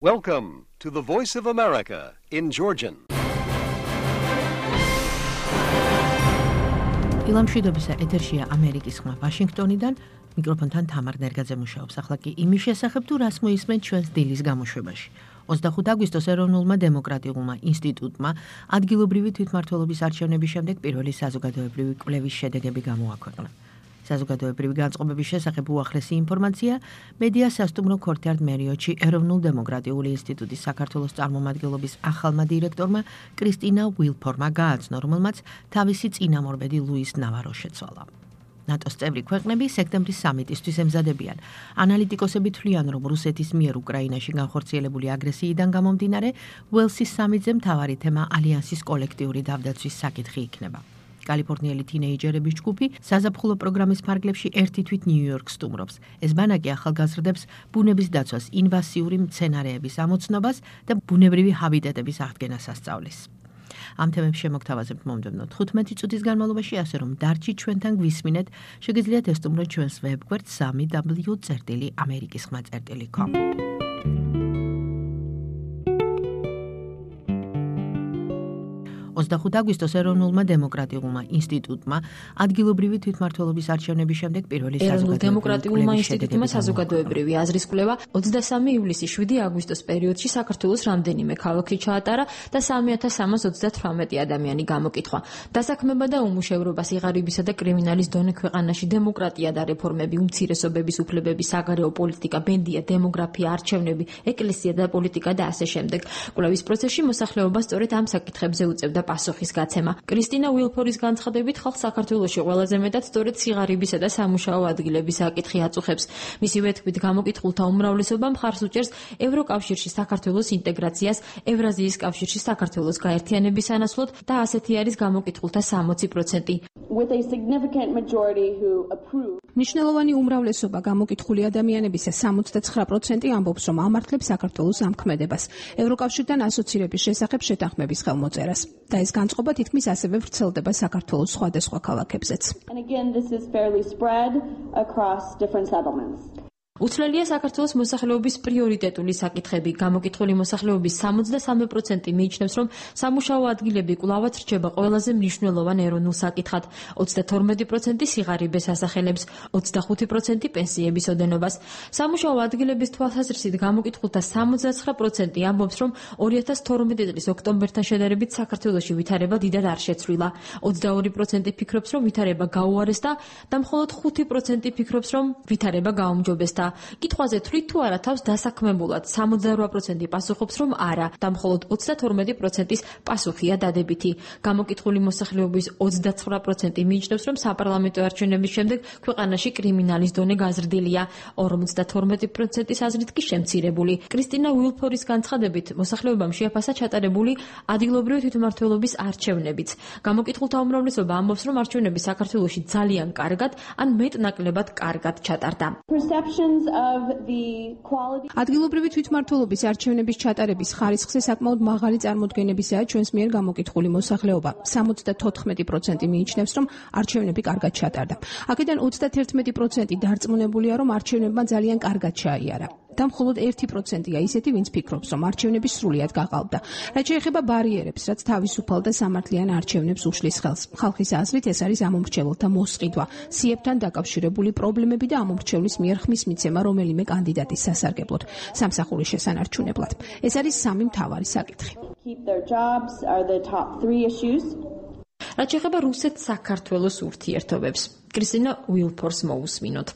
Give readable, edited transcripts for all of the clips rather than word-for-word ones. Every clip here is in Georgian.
Welcome to the Voice of America in Georgian. Ilamშვიდობისა ეთერშია ამერიკის ხმა ვაშინგტონიდან, მიკროფონთან თამარ ნერგაძე მუშაობს. ახლა კი იმის შესახებ თუ რას მოისმენთ ჩვენს დილის გამოშვებაში. 25 აგვისტოს ეროვნულმა დემოკრატიულმა ინსტიტუტმა ადგილობრივი თვითმმართველობის არჩევნების შემდეგ პირველი საზოგადოებრივი კვლევის შედეგები გამოაქვეყნა. საზოგადოებრივი განწყობების შესახებ უახლესი ინფორმაცია მედია სასტუმრო ქორთიარდ მერიოტში ეროვნულ დემოკრატიული ინსტიტუტის საქართველოს წარმომადგენლობის ახალმა დირექტორმა კრისტინა უილფორმმა გააცნო, რომელმაც თავისი წინამორბედი ლუის ნავარო შეცვალა. ნატოს წევრი ქვეყნები სექტემბრის სამიტისთვის ემზადებიან. ანალიტიკოსები თვლიან, რომ რუსეთის მიერ უკრაინაში განხორციელებული აგრესიიდან გამომდინარე, უელსის სამიტზე მთავარი თემა ალიანსის კოლექტიური თავდაცვის საკითხი იქნება. კალიფორნიელი თინეიჯერების ჯგუფი საზაფხულო პროგრამის ფარგლებში ერთი თვით ნიუ-იორკს სტუმრობს. ეს ბანაკი ახალგაზრდებს ბუნების დაცვას, ინვაზიური მცენარეების ამოცნობას და ბუნებრივი ჰაბიტატების აღდგენას ასწავლის. ამ თემებს შემოგთავაზებთ მომდევნო 15 წუთის განმავლობაში, ასე რომ დარჩით ჩვენთან გვისმინეთ, შეგიძლიათ ესტუმროთ ჩვენს ვებგვერდ www.amerikiskhma.com. 25 აგვისტოს ეროვნულმა დემოკრატიულმა ინსტიტუტმა ადგილობრივი თვითმმართველობის არჩევნების შემდეგ პირველი დემოკრატიულმა ინსტიტუტმა საზოგადოებრივი აზრის კვლევა 23 ივლისის 7 აგვისტოს პერიოდში საქართველოს რამდენიმე ქალაქში ჩაატარა და 3338 ადამიანი გამოკითხვა. დასაქმება და უმუშევრობა, სიღარიბისა და კრიმინალის დონე ქვეყანაში, დემოკრატია და რეფორმები, უმცირესობების უფლებები, საგარეო პოლიტიკა, ბენდია, დემოგრაფია, არჩევნები, ეკლესია და პოლიტიკა და ასე შემდეგ. კვლევის პროცესში მოსახლეობა სწორედ ამ საკითხებზე უწევდა პასუხის გაცემა. კრისტინა უილფორის განცხადებით, ხალხს საქართველოში ყველაზე მეტად სწორედ სიღარიბისა და სამუშაო ადგილების საკითხი აწუხებს. მისივე თქმით, გამოკითხულთა უმრავლესობა მხარს უჭერს ევროკავშირში საქართველოს ინტეგრაციას, ევრაზიის კავშირში საქართველოს გაერთიანების სანაცვლოდ და ასეთი არის გამოკითხულთა 60%. მნიშვნელოვანი უმრავლესობა გამოკითხული ადამიანებისა 79% ამბობს, რომ ამართლებს საქართველოს ამქმედებას, ევროკავშირთან ასოცირების შესახებ შეთანხმების ხელმოწერას. და ეს განწყობა თითქმის ასევე ვრცელდება საქართველოს სხვადასხვა ქალაქებზეც. უცვლელია საქართველოს მოსახლეობის პრიორიტეტული საკითხები. გამოკითხული მოსახლეობის 73% მიიჩნევს, რომ სამუშაო ადგილები კვლავაც რჩება ყველაზე მნიშვნელოვან ეროვნულ საკითხად. 32% სიღარიბეს ასახელებს, 25% პენსიების ოდენობას. სამუშაო ადგილების თვალსაზრისით გამოკითხულთა 79% ამბობს, რომ 2012 წლის ოქტომბერთან შედარებით საქართველოში ვითარება დიდად არ შეცვლილა. 22% ფიქრობს, რომ ვითარება გაუარესდა და მხოლოდ 5% ფიქრობს, რომ ვითარება გაუმჯობესდა. კითხვაზე თვლით თუ არა თავს დასაქმებულად 68% პასუხობს, რომ არა და მხოლოდ 32%-ის პასუხია დადებითი. გამოკითხული მოსახლეობის 29% მიიჩნევს, რომ საპარლამენტო არჩევნების შემდეგ ქვეყანაში კრიმინალის დონე გაზრდილია, 52%-ის აზრით კი შემცირებული. კრისტინა უილფორის განცხადებით, მოსახლეობამ შეაფასა ჩატარებული ადგილობრივი თვითმმართველობის არჩევნებიც. გამოკითხულთა უმრავლესობა ამბობს, რომ არჩევნები საქართველოში ძალიან კარგად ან მეტ-ნაკლებად კარგად ჩატარდა. ადგილობრივი თვითმმართველობის არჩევნების ჩატარების ხარისხზე საკმაოდ მაღალი წარმოდგენებისაა ჩვენს მიერ გამოკითხული მოსახლეობა. 74% მიიჩნევს, რომ არჩევნები კარგად ჩატარდა. აქედან 31% დარწმუნებულია, რომ არჩევნებმა ძალიან კარგად ჩაიარა. და მხოლოდ 1%-ია ისეთი, ვინც ფიქრობს, რომ არჩევნები სრულიად გაყალბდა. რაც შეეხება ბარიერებს, რაც თავისუფალ და სამართლიან არჩევნებს უშლის ხელს. ხალხის აზრით ეს არის ამომრჩეველთა მოსყიდვა, სიებთან დაკავშირებული პრობლემები და ამომრჩევლის მიერ ხმის მიცემა რომელიმე კანდიდატის სასარგებლოდ, სამსახურის შესანარჩუნებლად. ეს არის სამი მთავარი საკითხი. რაც შეეხება რუსეთ-საქართველოს ურთიერთობებს, კრისტინა უილფორს მოусმინოთ.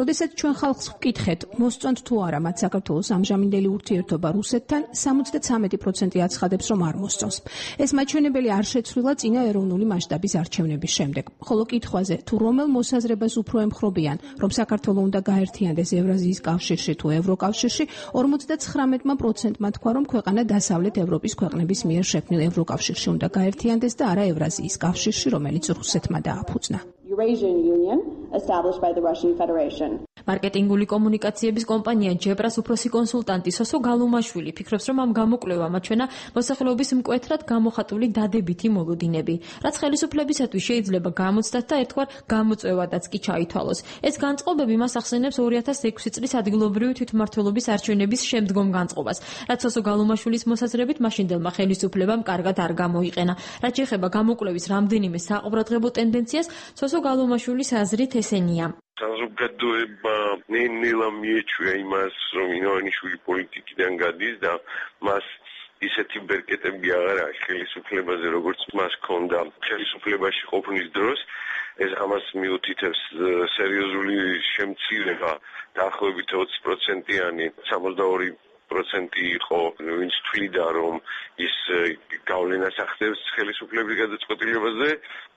როდესაც ჩვენ ხალხს ვკითხეთ, მოსწონთ თუ არა მათ საქართველოს ამჟამინდელი ურთიერთობა რუსეთთან, 73% აცხადებს, რომ არ მოსწონს. ეს მაჩვენებელი არ შეცვლილა წინა ეროვნული მასშტაბის არჩევნების შემდეგ. ხოლო კითხვაზე, თუ რომელ მოსაზრებას უფრო ემხრობიან, რომ საქართველო უნდა გაერთიანდეს ევრაზიის კავშირში თუ ევროკავშირში, 59%-მა თქვა, რომ ქვეყანა დასავლეთ ევროპის ქვეყნების მიერ შექმნილ ევროკავშირში უნდა გაერთიანდეს და არა ევრაზიის კავშირში, რომელიც რუსეთმა დააფუძნა. მარკეტინგული კომუნიკაციების კომპანია ჯებრას უფროსი კონსულტანტი სოსო გალუმაშვილი ფიქრობს, რომ ამ გამოკვლევამ აჩვენა მოსახლეობის მკვეთრად გამოხატული დადებითი მოლოდინები, რაც ხელისუფლებისათვის შეიძლება გამოცდათ და ერთგვარ გამოწვევადაც კი ჩაითვალოს. ეს განწყობები მას ახსენებს 2006 წლის ადგილობრივი თვითმმართველობის არჩევნების შემდგომ განწყობას, რაც სოსო გალუმაშვილის მოსაზრებით მაშინდელმა ხელისუფლებამ კარგად არ გამოიყენა. რაც შეეხება გამოკვლევის რამდენიმე საყურადღებო ტენდენციას, სოსო გალუმაშვილის აზრით ესენია. საზოგადოება ნელა მიეჩვია იმას, რომ ივანიშვილი პოლიტიკიდან გადის და მას ისეთი ბერკეტები აღარ აქვს ხელისუფლებაზე, როგორც მას ჰქონდა ხელისუფლებაში ყოფნის დროს. ეს ამას მიუთითებს სერიოზული შემცირება, დაახლოებით 20%-იანი, 62% იყო, ვინც თვლიდა, რომ ის გავლენას ახდენს ხელისუფლების გადაწყვეტილებაზე,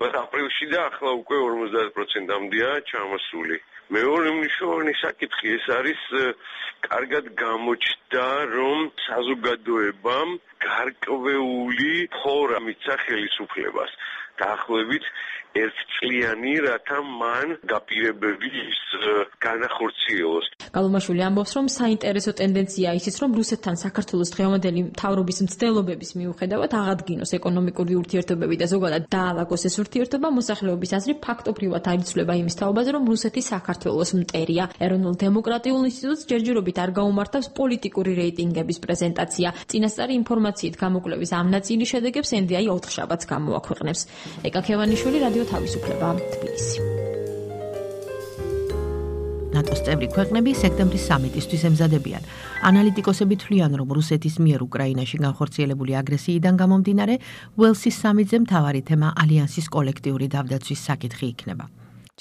բայց აპრილში და ახლა უკვე 50%-მდეა ჩამოსული. მეორე მნიშვნელოვანი საკითხი ეს არის კარგად გამოჩნდა, რომ საზოგადოებამ გარკვეული ფორა მიცა ხელისუფლებას. დაახლოებით ერთწლიანი, რათა მან დაპირებები განახორციელოს. გალუმაშვილი ამბობს, რომ საინტერესო ტენდენციაა ისიც, რომ რუსეთთან საქართველოს დღევანდელი მთავრობის მცდელობების მიუხედავად აღადგინოს ეკონომიკური ურთიერთობები და ზოგადად დაალაგოს ეს ურთიერთობა, მოსახლეობის აზრი ფაქტობრივად არ იცვლება იმის თაობაზე, რომ რუსეთი საქართველოს მტერია. ეროვნულ დემოკრატიულ ინსტიტუტს ჯერჯერობით არ გაუმართავს პოლიტიკური რეიტინგების პრეზენტაცია. წინასწარი ინფორმაციით გამოკვლევის ამ ნაწილის შედეგებს NDI ოთხშაბათს გამოაქვეყნებს. ეკა ქევანიშვილი, რადიო თავისუფლება, თბილისი. ნატოს წევრი ქვეყნები სექტემბრის სამიტისთვის ემზადებიან. ანალიტიკოსები თვლიან, რომ რუსეთის მიერ უკრაინაში განხორციელებული აგრესიიდან გამომდინარე, უელსის სამიტზე მთავარი თემა ალიანსის კოლექტიური თავდაცვის საკითხი იქნება.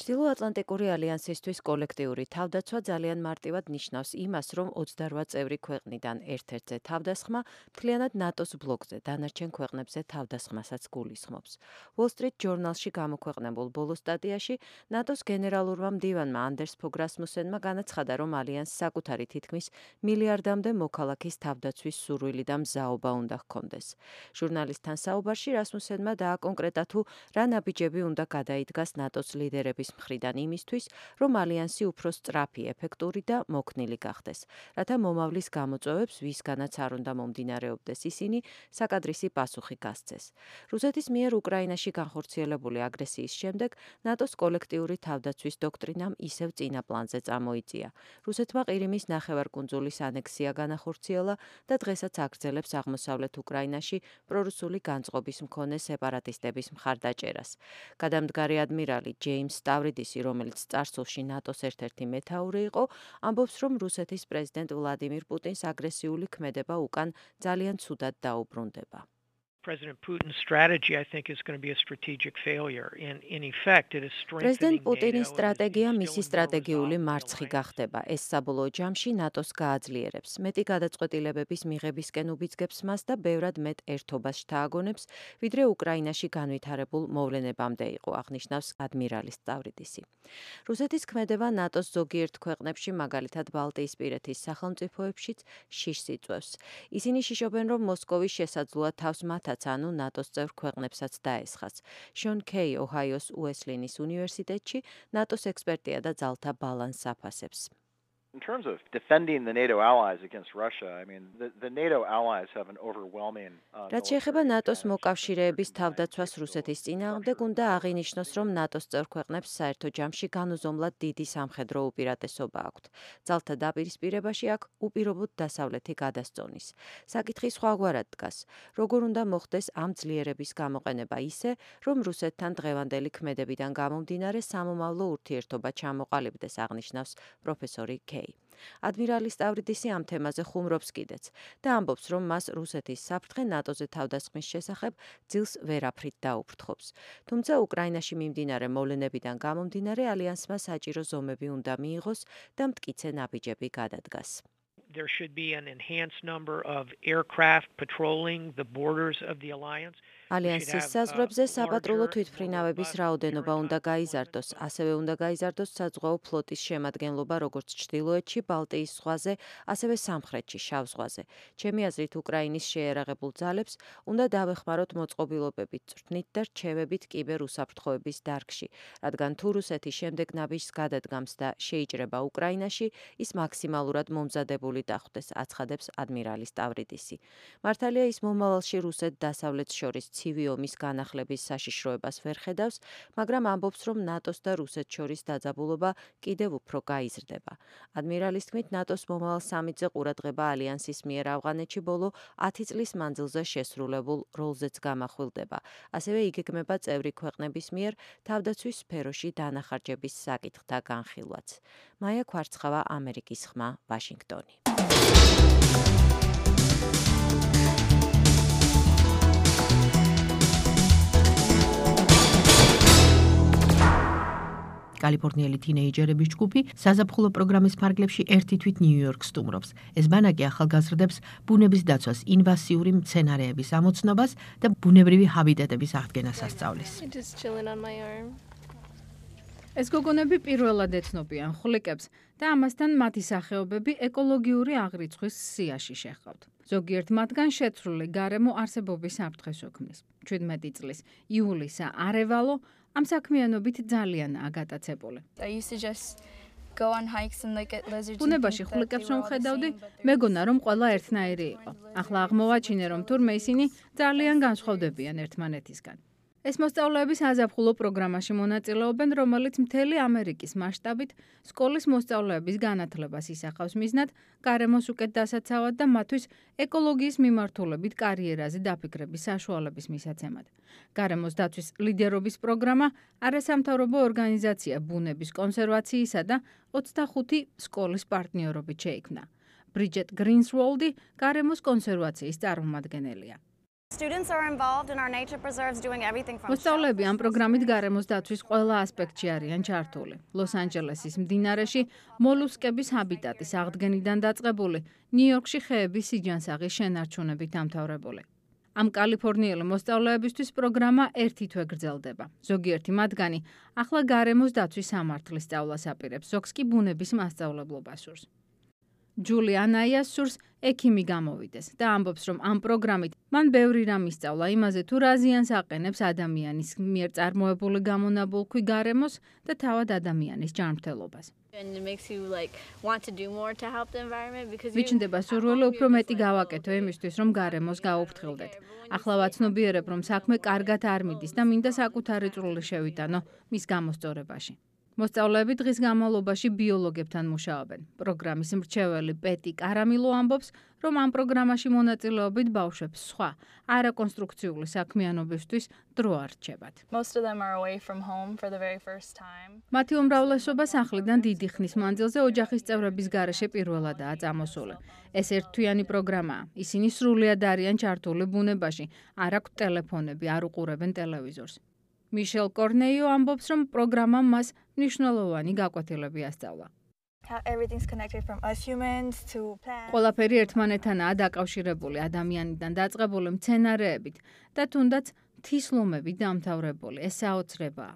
ჩრდილოატლანტიკური ალიანსისთვის კოლექტიური თავდაცვა ძალიან მარტივად ნიშნავს იმას, რომ 28 წევრი ქვეყნიდან ერთ-ერთზე თავდასხმა მთლიანად ნატოს ბლოკზე დანარჩენ ქვეყნებზე თავდასხმასაც გულისხმობს. Wall Street Journal-ში გამოქვეყნებულ ბოლო სტატიაში ნატოს გენერალურმა მდივანმა ანდერს ფოგ რასმუსენმა განაცხადა, რომ ალიანსს საკუთარი თითქმის მილიარდამდე მოქალაქის თავდაცვის სურვილი და მზაობა უნდა ჰქონდეს. ჟურნალისტთან საუბარში რასმუსენმა დააკონკრეტა თუ რა ნაბიჯები უნდა გადაიდგას ნატოს ლიდერების მხრიდან იმისთვის, რომ ალიანსი უფრო სწრაფი, ეფექტური და მოქნილი გახდეს, რათა მომავლის გამოწვევებს, ვისგანაც არ უნდა მომდინარეობდეს ისინი, საკადრისი პასუხი გასცეს. რუსეთის მიერ უკრაინაში განხორციელებული აგრესიის შემდეგ ნატოს კოლექტიური თავდაცვის დოქტრინამ ისევ წინა პლანზე წამოიწია. რუსეთმა ყირიმის ნახევარკუნძულის ანექსია განახორციელა და დღესაც აგრძელებს აღმოსავლეთ უკრაინაში პრორუსული განწყობის მქონე სეპარატისტების მხარდაჭერას. გადამდგარი ადმირალი ჯეიმს სტავრიდისი, რომელიც წარსულში ნატოს ერთ-ერთი მეთაური იყო, ამბობს, რომ რუსეთის პრეზიდენტ ვლადიმირ პუტინს აგრესიული ქმედება უკან ძალიან ცუდად დაუბრუნდება. პრეზიდენტ პუტინის სტრატეგია მისი სტრატეგიული მარცხი გახდება. ეს საბოლოო ჯამში ნატოს გააძლიერებს. მეტი გადაწყვეტილებების მიღებისკენ უბიძგებს მას და ბევრად მეტ ერთობას შთააგონებს, ვიდრე უკრაინაში განვითარებულ მოვლენებამდე იყო, აღნიშნავს ადმირალი სტავრიდისი. რუსეთის ქმედება ნატოს ზოგიერთ ქვეყნებში, მაგალითად ბალტიისპირეთის სახელმწიფოებშიც შიშს იწვევს. ისინი შიშობენ, რომ მოსკოვის შესაძლოა თავს მათაც ანუ ნატოს წევრ ქვეყნებსაც დაესხას. შონ კეი ოჰაიოს უესლინის უნივერსიტეტში ნატოს ექსპერტია და ძალთა ბალანსს აფასებს. In terms of defending the NATO allies against Russia, I mean, the NATO allies have an overwhelming რაც შეეხება ნატოს მოკავშირეების თავდაცვას რუსეთის წინააღმდეგ, უნდა აღინიშნოს, რომ ნატოს წევრ ქვეყნებს საერთო ჯამში განუზომლად დიდი სამხედრო უპირატესობა აქვთ. ძალთა დაპირისპირებაში აქ უპირობოდ დასავლეთი გადასწონის. საკითხი სხვაგვარად დგას. როგორ უნდა მოხდეს ამ ძლიერების გამოყენება ისე, რომ რუსეთთან დღევანდელი ქმედებიდან გამომდინარე სამომავლო ურთიერთობა ჩამოყალიბდეს, აღნიშნავს პროფესორი კეი. ადმირალი სტავრიდისი ამ თემაზე ხუმრობს კიდეც და ამბობს, რომ მას რუსეთის საფრთხე ნატოზე თავდასხმის შესახებ ძილს ვერაფრით დაუფრთხობს. თუმცა უკრაინაში მიმდინარე მოვლენებიდან გამომდინარე ალიანსმა საჭირო ზომები უნდა მიიღოს და მტკიცე ნაბიჯები გადადგას. There should be an enhanced number of aircraft patrolling the borders of the alliance. ალიანსის საზღვრებზე საპატრულო თვითმფრინავების რაოდენობა უნდა გაიზარდოს, ასევე უნდა გაიზარდოს საზღვაო ფლოტის შემადგენლობა როგორც ჩრდილოეთში, ბალტიის ზღვაზე, ასევე სამხრეთში, შავ ზღვაზე. ჩემი აზრით, უკრაინის შეიარაღებულ ძალებს უნდა დავეხმაროთ მოწყობილობებით, წვრთნით და რჩევებით კიბერუსაფრთხოების დარგში, რადგან თუ რუსეთი შემდეგ ნაბიჯს გადადგამს და შეიჭრება უკრაინაში, ის მაქსიმალურად მომზადებული დახვდეს, აცხადებს ადმირალი სტავრიდისი. მართალია ის მომავალში რუსეთ დასავლეთს შორის ცივი ომის განახლების საშიშროებას ვერ ხედავს, მაგრამ ამბობს, რომ ნატოს და რუსეთს შორის დაძაბულობა კიდევ უფრო გაიზრდება. ადმირალის თქმით, ნატოს მომავალ სამიტზე ყურადღება ალიანსის მიერ ავღანეთში ბოლო 10 წლის მანძილზე შესრულებულ როლზეც გამახვილდება. ასევე იგეგმება წევრი ქვეყნების მიერ თავდაცვის სფეროში დანახარჯების საკითხთა განხილვაც. მაია ქვარცხავა, ამერიკის ხმა, ვაშინგტონი. კალიფორნიელი თინეიჯერების ჯგუფი საზაფხულო პროგრამის ფარგლებში ერთი თვით ნიუ-იორკს სტუმრობს. ეს ბანაკი ახალგაზრდებს ბუნების დაცვას, ინვაზიური მცენარეების ამოცნობას და ბუნებრივი ჰაბიტატების აღდგენას ასწავლის. ეს გოგონები პირველად ეთნობიან ხვლიკებს და ამასთან მათი სახეობები ეკოლოგიური აღრიცხვის სიაში შეჰყავთ. ზოგიერთ მათგან შეცვლილი გარემო არსებობის საფრთხეს ოქმნის. 17 წლის იულისა არევალო ამ საქმიანობით ძალიანაა გატაცებული. ბუნებაში ხვლიკებს რომ ხედავდი, მეგონა რომ ყველა ერთნაირი იყო. ახლა აღმოვაჩინე, რომ თურმე ისინი ძალიან განსხვავდებიან ერთმანეთისგან. ეს მოსწავლეები საზაფხულო პროგრამაში მონაწილეობენ, რომელიც მთელი ამერიკის მასშტაბით სკოლის მოსწავლეების განათლებას ისახავს მიზნად, გარემოს უკეთ დასაცავად და მათთვის ეკოლოგიის მიმართულებით კარიერაზე დაფიქრების საშუალების მისაცემად. გარემოს დაცვის ლიდერობის პროგრამა არასამთავრობო ორგანიზაცია ბუნების კონსერვაციისა და 25 სკოლის პარტნიორობით შეიქმნა. ბრიჯეტ გრინსვოლდი გარემოს კონსერვაციის წარმომადგენელია. მოსწავლეები ამ პროგრამით გარემოს დაცვის ყველა ასპექტში არიან ჩართული. ლოს-ანჯელესის მდინარეში მოლუსკების ჰაბიტატის აღდგენიდან დაწყებული, ნიუ-იორკში ხეების სიჯანსაღის შენარჩუნებით დამთავრებული. ამ კალიფორნიელი მოსწავლეებისთვის პროგრამა ერთი თვე გრძელდება. ზოგიერთი მათგანი ახლა გარემოს დაცვის სამართლის სწავლას აპირებს, ზოგს კი ბუნების მასწავლებლობას სურს. ჯულიანაიას სურს ექიმი გამოვიდეს და ამბობს, რომ ამ პროგრამით მან ბევრი რამ ისწავლა იმაზე, თუ რა ზიანს აყენებს ადამიანის მიერ წარმოებული გამონაბოლქვი გარემოს და თავად ადამიანის ჯანმრთელობას. ვიჩნდება სურვილი უფრო მეტი გავაკეთო იმისთვის, რომ გარემოს გაუფრთხილდეთ. ახლა ვაცნობიერებ, რომ საქმე კარგად არ მიდის და მინდა საკუთარი წვლილი შევიტანო მის გამოსწორებაში. მოსწავლეები დღის განმავლობაში ბიოლოგებთან მუშაობენ. პროგრამის მრჩეველი პეტი კარამილო ამბობს, რომ ამ პროგრამაში მონაწილეობით ბავშვებს სხვა არაკონსტრუქციული საქმიანობისთვის დრო არ რჩებათ. მათი უმრავლესობა სახლიდან დიდი ხნის მანძილზე ოჯახის წევრების გარეშე პირველადაა წამოსული. ეს ერთთვიანი პროგრამაა. ისინი სრულიად არიან ჩართული ბუნებაში, არ აქვთ ტელეფონები, არ უყურებენ ტელევიზორს. მიშელ კორნეიო ამბობს, რომ პროგრამამ მას მნიშვნელოვანი გაკვეთილები ასწავლა. ყველაფერი ერთმანეთთანაა დაკავშირებული, ადამიანიდან დაწყებული მცენარეებით და თუნდაც მთის ლომებით დამთავრებული. ეს საოცრებაა.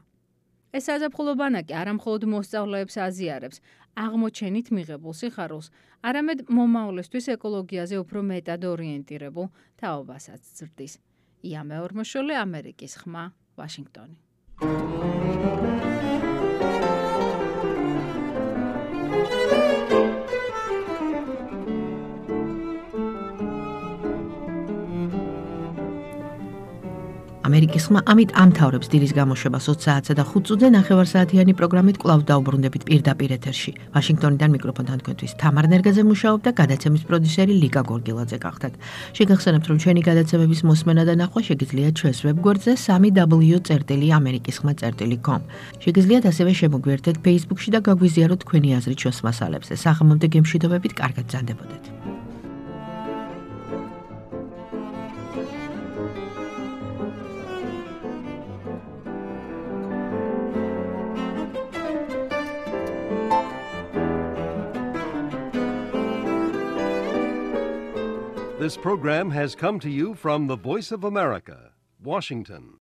ეს საზაფხულო ბანაკი არა მხოლოდ მოსწავლეებს აზიარებს აღმოჩენით მიღებულ სიხარულს, არამედ მომავლისთვის ეკოლოგიაზე უფრო მეტად ორიენტირებულ თაობასაც ზრდის. ია მეორმოშვილი, ამერიკის ხმა, ვაშინგტონი. ამერიკის ხმა ამით ამთავრებს დილის გამოშვებას 20 საათსა და 5 წუთზე ნახევარსაათიანი პროგრამით კვლავ დაუბრუნდებით პირდაპირ ეთერში. ვაშინგტონიდან მიკროფონთან თქვენთვის თამარ ნერგაძე მუშაობდა, გადაცემის პროდიუსერი ლიკა გორგილაძე გახდათ. შეგახსენებთ, რომ ჩვენი გადაცემების მოსმენა და ნახვა შეგიძლიათ ჩვენს ვებგვერდზე www.amerikiskhma.com. შეგიძლიათ ასევე შემოგვიერთდეთ Facebook-ში და გაგვიზიაროთ თქვენი აზრი ჩვენს მასალებზე. საღამომდე გემშვიდობებით, კარგად ბრძანდებოდეთ. This program has come to you from the Voice of America, Washington.